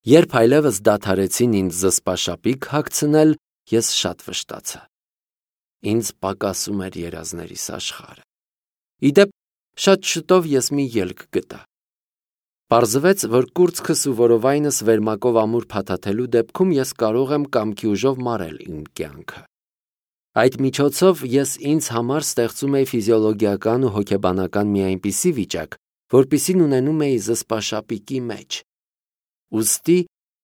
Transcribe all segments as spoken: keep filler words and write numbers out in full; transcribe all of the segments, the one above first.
Երբ այլևս դադարեցին ինձ զսպաշապիկ հագցնել, ես շատ վշտացա։ Ինձ պակասում էր երազներիս աշխարհը։ Իդեպ, շատ շուտով ես մի ելք գտա։ Պարզվեց, որ կուրծքս ու որովայնս վերմակով ամուր փաթաթելու դեպքում ես կարող եմ կամքի ուժով մարել իմ կյանքը։ Այդ միջոցով ես ինձ համար ստեղծում էի ֆիզիոլոգիական ու հոգեբանական մի այնպիսի վիճակ, որպիսին ունենում էի զսպաշապիկի մեջ։ Ուստի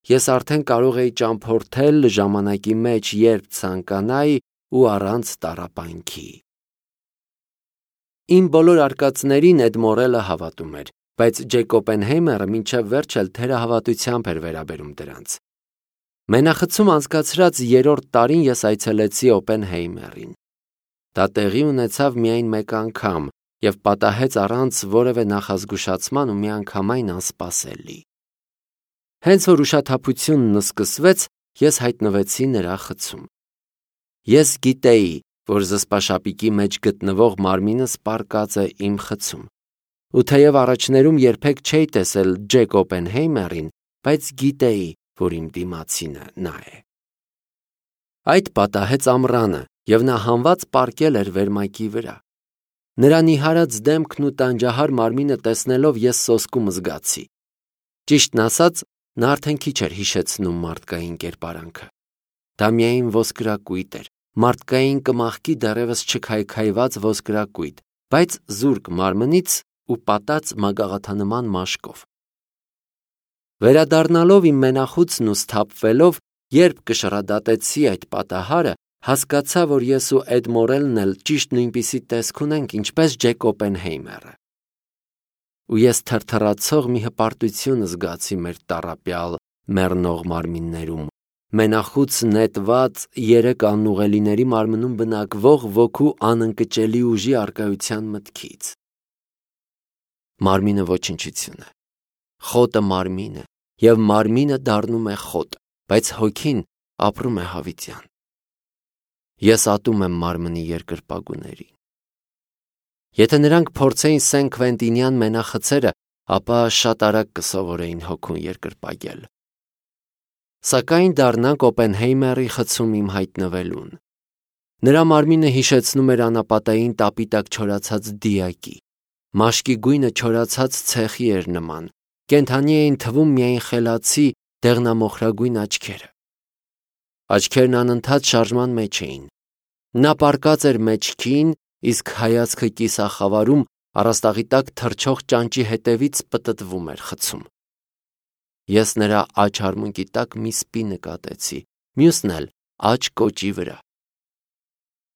ես արդեն կարող էի ճամփորդել ժամանակի մեջ, երբ ցանկանայի ու առանց տառապանքի։ Իմ բոլոր արկածներին Էդ Մորելը հավատում էր, բայց Ջեք Օպենհեյմերը մինչև վերջ էլ թերահավատությամբ էր վերաբերում դրանց։ Մենախցում անցկացրած երրորդ տարին ես այցելեցի Օպենհեյմերին։ Դա տեղի ունեցավ միայն մեկ անգամ և պատահեց առանց որևէ նախազգուշացման ու միանգամայն անսպասելի։ Հենց որ ուշաթափությունն սկսվեց, ես հայտնվեցի նրա խցում։ Ես գիտեի, որ զսպաշապիկի մեջ գտնվող մարմինս պառկած է իմ խցում, ու թեև առաջներում երբեք չէի տեսել Ջեք Օպենհեյմերին, բայց գիտեի, որ իմ դիմացինը նա է։ Այդ պատահեց ամռանը, և նա հանված պառկել էր վերմակի վրա։ Նրա նիհարած դեմքն ու տանջահար մարմինը տեսնելով ես սոսկում զգացի։ Ճիշտն ասած, նա արդեն քիչ էր հիշեցնում մարդկային կերպարանքը։ Դա միայն ոսկրակույտ էր, մարդկային կմախքի դեռևս չքայքայված ոսկրակույտ, բայց զուրկ մարմնից ու պատած մագաղաթանման մաշկով։ Վերադառնալով իմ մենախուցն ու սթափվելով, երբ կշռադատեցի այդ պատահարը, հասկացա, որ ես ու Էդ Մորելն էլ ճիշտ նույնպիսի տեսք ունենք, ինչպես Ջեք Օպենհեյմերը։ Ու ես թրթռացող մի հպարտություն զգացի մեր տառապյալ մեռնող մարմիններում, մենախուց նետված երեք անուղելիների մարմնում բնակվող ոգու անընկճելի ուժի առկայության մտքից։ Մարմինը ոչնչություն է, խոտը մարմին է, և մարմինը դառնում է խոտ, բայց հոգին ապրում է հավիտյան։ Ես ատում եմ մարմնի երկրպագուներին։ Եթե նրանք փորձեին Սեն Քվենտինյան մենախցերը, ապա շատ արագ կսովորեին հոգուն երկրպագել։ Սակայն դառնանք Օպենհեյմերի խցում իմ հայտնվելուն։ Նրա մարմինը հիշեցնում էր անապատային տապի տակ չորացած դիակի, մաշկի գույնը չորացած ցեխի էր նման, կենդանի էին թվում միայն խելացի դեղնամոխրագույն աչքերը։ Աչքերն անընդհատ շարժման մեջ էին։ Նա պառկած էր մեջքին, իսկ հայացքը կիսախավարում առաստաղի տակ թռչող ճանճի հետևից պտտվում էր խցում։ Ես նրա աջ արմունկի տակ մի սպի նկատեցի, մյուսն էլ աջ կոճի վրա։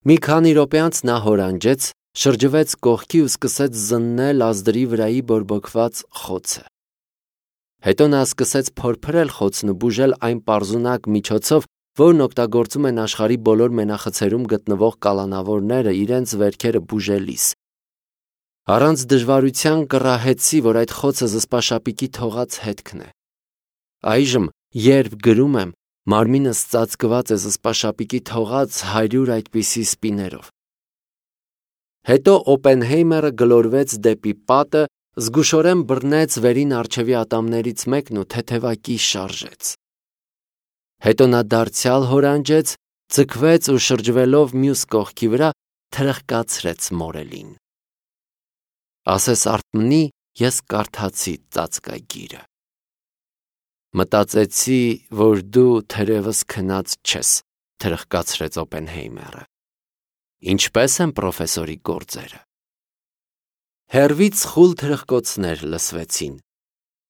Մի քանի րոպե անց նա հորանջեց, շրջվեց կողքի ու սկսեց զննել ազդրի վրայի բորբոքված խոցը։ Հետո նա սկսեց փորփրել խոցն ու բուժել այն պարզունակ միջոցով, որն օգտագործում են աշխարհի բոլոր մենախցերում գտնվող կալանավորները իրենց վերքերը բուժելիս։ Առանց դժվարության կռահեցի, որ այդ խոցը զսպաշապիկի թողած հետքն է։ Այժմ, երբ գրում եմ, մարմինս ծածկված է զսպաշապիկի թողած հարյուր այդպիսի սպիներով։ Հետո Օպենհեյմերը գլորվեց դեպի պատը, զգուշորեն բռնեց վերին առջևի ատամներից մեկն ու թեթևակի շարժեց։ Հետո նա դարձյալ հորանջեց, ձգվեց ու շրջվելով մյուս կողքի վրա թրխկացրեց Մորելին։ Ասես արթմնի, ես կարդացի ծածկագիրը։ Մտածեցի, որ դու թերևս քնած չես, թրխկացրեց Օպենհեյմերը։ Ինչպե՞ս են պրոֆեսորի գործերը։ Հեռվից խուլ թրխկոցներ լսվեցին։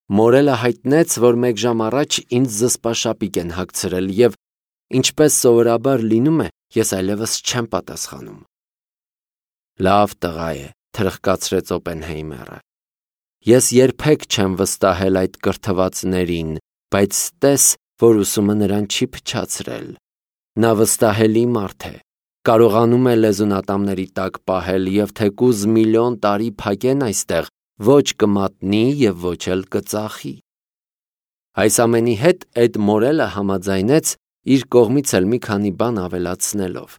Մորելը հայտնեց, որ մեկ ժամ առաջ ինձ զսպաշապիկ են հագցրել և, ինչպես սովորաբար լինում է, ես այլևս չեմ պատասխանում։ Լավ տղա է, թրխկացրեց Օպենհեյմերը։ Ես երբեք չեմ վստահել այդ կրթվածներին, բայց տես, որ ուսումը նրան չի փչացրել։ Նա վստահելի մարդ է, կարողանում է լեզուն ատամների տակ պահել և թեկուզ միլիոն տարի փակեն այստեղ, ոչ կմատնի և ոչ էլ կծախի։ Այս ամենի հետ Էդ Մորելը համաձայնեց, իր կողմից էլ մի քանի բան ավելացնելով։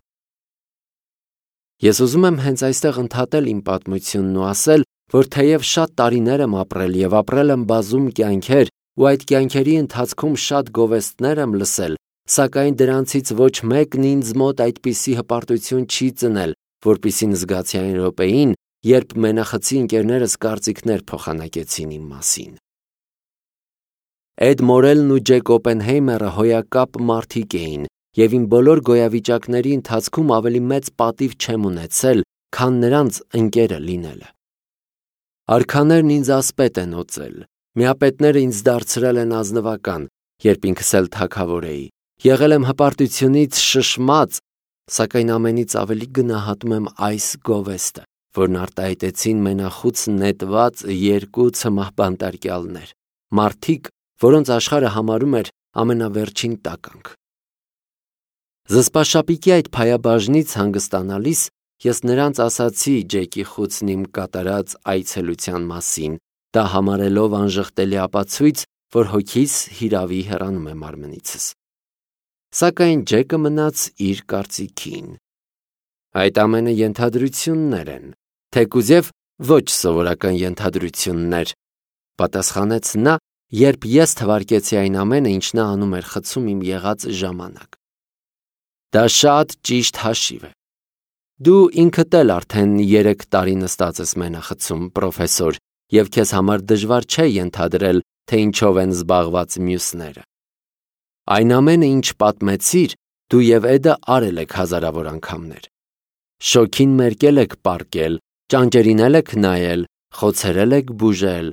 Ես ուզում եմ հենց այստեղ ընդհատել իմ պատմությունն ու ասել, որ թեև շատ տարիներ եմ ապրել և ապրել եմ բազում կյանքեր, ու այդ կյանքերի ընթացքում շատ գովեստներ եմ լսել, սակայն դրանցից ոչ մեկն ինձ մոտ այդպիսի հպարտություն չի ծնել, որպեսզի զգացի այն րոպեին, երբ մենախցի ընկերներս կարծիքներ փոխանակեցին իմ մասին։ Էդ Մորելն ու Ջեք Օպենհեյմերը հոյակապ մարդիկ էին, և իմ բոլոր գոյավիճակների ընթացքում ավելի մեծ պատիվ չեմ ունեցել, քան նրանց ընկերը լինելը։ Արքաներն ինձ ասպետ են օծել, միապետները ինձ դարձրել են ազնվական, երբ ինքս էլ թագավոր էի, եղել եմ հպարտությունից շշմած, սակայն ամենից ավելի գնահատում եմ այս գովեստը, որն արտահայտեցին մենախուց նետված երկու ցմահ բանտարկյալներ, մարդիկ, որոնց աշխարհը համարում էր ամենավերջին տականք։ Զսպաշապիկի այդ փայաբաժնից հանգստանալիս ես նրանց ասացի Ջեկի խուցն իմ կատարած այցելության մասին, դա համարելով անժխտելի ապացույց, որ հոգիս հիրավի հեռանում է մարմնիցս։ Սակայն Ջեկը մնաց իր կարծիքին։ Այդ ամենը ենթադրություններ են, թեկուզև ոչ սովորական ենթադրություններ, պատասխանեց նա, երբ ես թվարկեցի այն ամենը, ինչ նա անում էր խցում իմ եղած ժամանակ։ Դա շատ ճիշտ հաշիվ է։ Դու ինքդ էլ արդեն երեք տարի նստած ես մենախցում, պրոֆեսոր, և քեզ համար դժվար չէ ենթադրել, թե ինչով են զբաղված մյուսները։ Այն ամենը, ինչ պատմեցիր, դու և Էդը արել եք հազարավոր անգամներ։ Շոգին մերկել եք պառկել, ճանճերին եք նայել, խոցերել եք բուժել,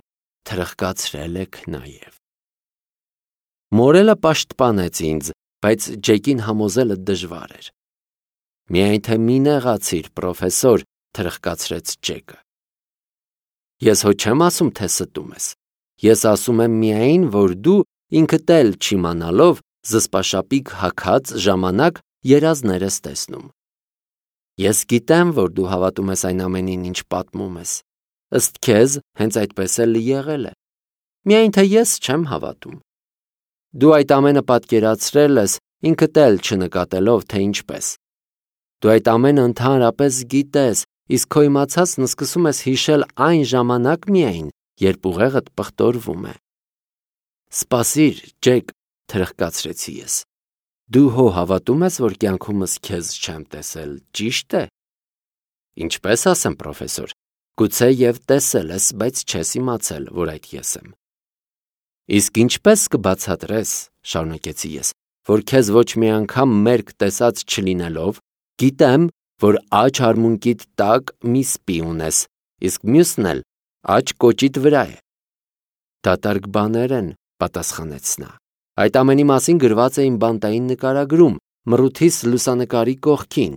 թրխկացրել եք նաև։ Մորելը պաշտպանեց ինձ, բայց Ջեկին համոզելը դժվար էր։ Միայն թե մի նեղացիր, պրոֆեսոր, թրխկացրեց Ջեկը։ Ես հո չեմ ասում, թե ստում ես։ Ես ասում եմ միայն, որ դու ինքդ էլ չիմանալով զսպաշապիկ հագած ժամանակ երազներ ես տեսնում։ Ես գիտեմ, որ դու հավատում ես այն ամենին, ինչ պատմում ես։ Ըստ քեզ, հենց այդպես էլ եղել է։ Միայն թե ես չեմ հավատում։ Դու այդ ամենը պատկերացրել ես, ինքդ էլ չնկատելով, թե ինչպես։ Դու այդ ամենը ընդհանրապես գիտես, իսկ քո իմացածն սկսում ես հիշել այն ժամանակ միայն, երբ ուղեղդ պղտորվում է։ Սպասիր, Ջեք, թրխկացրեցի ես։ Դու հո հավատում ես, որ կյանքումս քեզ չեմ տեսել, ճիշտ է։ Ինչպես ասեմ, պրոֆեսոր, գուցե և տեսել ես, բայց չես իմացել, որ այդ ես եմ։ Իսկ ինչպես կբացատրես, շարունակեցի ես, որ քեզ ոչ մի անգամ մերկ տեսած չլինելով, գիտեմ, որ աջ արմունկիդ տակ մի սպի ունես, իսկ մյուսն էլ աջ կոճիդ վրա է։ Դատարկ բաներ են, պատասխանեց նա։ Այդ ամենի մասին գրված է իմ բանտային նկարագրում, մռութիս լուսանկարի կողքին։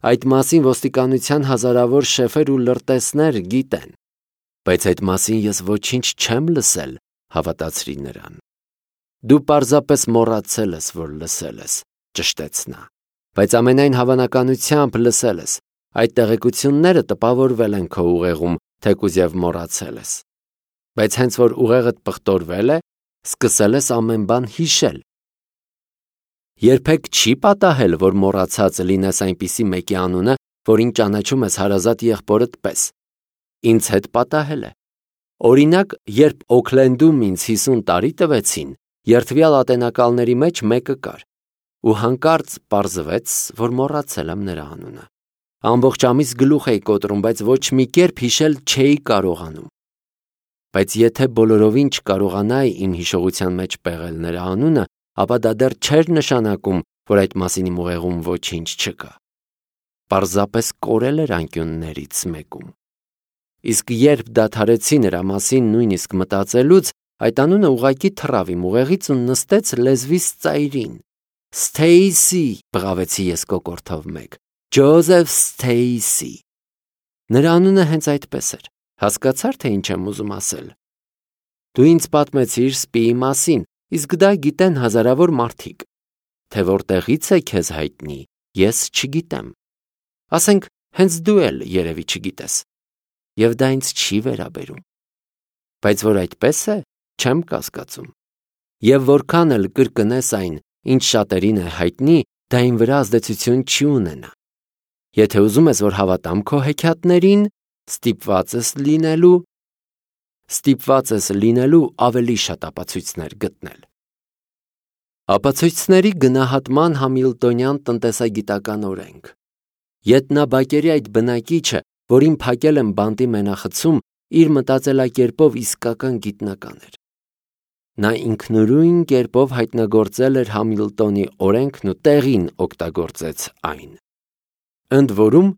Այդ մասին ոստիկանության հազարավոր շեֆեր ու լրտեսներ գիտեն։ Բայց այդ մասին ես ոչինչ չեմ լսել, հավատացրի նրան։ Դու պարզապես մոռացել ես, որ լսել ես, ճշտեց նա։ Բայց ամենայն հավանականությամբ լսել ես։ Այդ տեղեկությունները տպավորվել են քո ուղեղում, թեկուզև մոռացել ես։ Բայց հենց որ ուղեղդ պղտորվել է, սկսել ես ամեն բան հիշել։ Երբեք չի պատահել, որ մոռացած լինես այնպիսի մեկի անունը, որին ճանաչում ես հարազատ եղբորդ պես։ Ինձ հետ պատահել է։ Օրինակ, երբ Օքլենդում ինձ հիսուն տարի տվեցին, երդվյալ ատենակալների մեջ մեկը կար, ու հանկարծ պարզվեց, որ մոռացել եմ նրա անունը։ Ամբողջ ամիս գլուխ էի կոտրում, բայց ոչ մի կերպ հիշել չէի կարողանում։ Բայց եթե բոլորովին չկարողանայի իմ հիշողության մեջ պեղել նրա անունը, ապա դա դեռ չէր նշանակում, որ այդ մասին իմ ուղեղում ոչինչ չկա։ Պարզապես կորել էր անկյուններից մեկում։ Իսկ երբ դադարեցի նրա մասին նույնիսկ մտածելուց, այդ անունը ուղղակի թռավ իմ ուղեղից ու նստեց լեզվիս ծայրին։ Սթեյսի, բղավեցի ես կոկորդով մեկ, Ջոզեֆ Սթեյսի։ Նրա անունը հենց այդպես էր, հասկացար, թե ինչ եմ ուզում ասել։ Դու ինձ պատմեցիր սպիի մասին, իսկ դա գիտեն հազարավոր մարդիկ։ Թե որտեղից է քեզ հայտնի, ես չգիտեմ։ Ասենք, հենց դու էլ երևի չգիտես։ Եվ դա ինձ չի վերաբերում։ Բայց որ այդպես է, չեմ կասկածում։ Եվ որքան էլ կրկնես այն, ինչ շատերին է հայտնի, դա իմ վրա ազդեցություն չի ունենա։ Եթե ուզում ես, որ հավատամ քո հեքիաթներին, ստիպված ես լինելու։ ստիպված ես լինելու ավելի շատ ապացույցներ գտնել։ Ապացույցների գնահատման համիլտոնյան տնտեսագիտական օրենք։ Ետնաբակերի այդ բնակիչը, որին փակել են բանտի մենախցում, իր մտածելակերպով իսկական գիտնական էր։ Նա ինքնուրույն կերպով հայտնագործել էր Համիլտոնի օրենքն ու տեղին օգտագործեց այն։ Ընդ որում,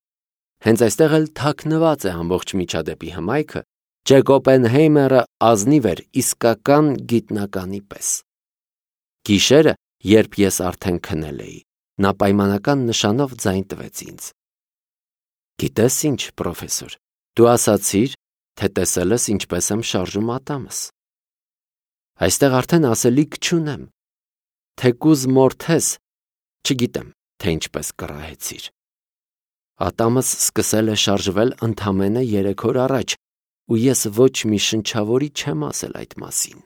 հենց այստեղ էլ թաքնված է ամբողջ միջադեպի հմայքը, Ջեք Օպենհեյմերը ազնիվ էր իսկական գիտնականի պես։ Գիշերը, երբ ես արդեն քնել էի, նա պայմանական նշանով ձայն տվեց ինձ։ Գիտես ինչ, պրոֆեսոր, դու ասացիր, թե տեսել ես ինչպես եմ շարժում ատամս։ Այստեղ արդեն ասելիք չունեմ, թեկուզ մորթես, չգիտեմ, թե ինչպես կռահեցիր։ Ատամս սկսել է շարժվել ընդամենը երեք օր առաջ, ու ես ոչ մի շնչավորի չեմ ասել այդ մասին։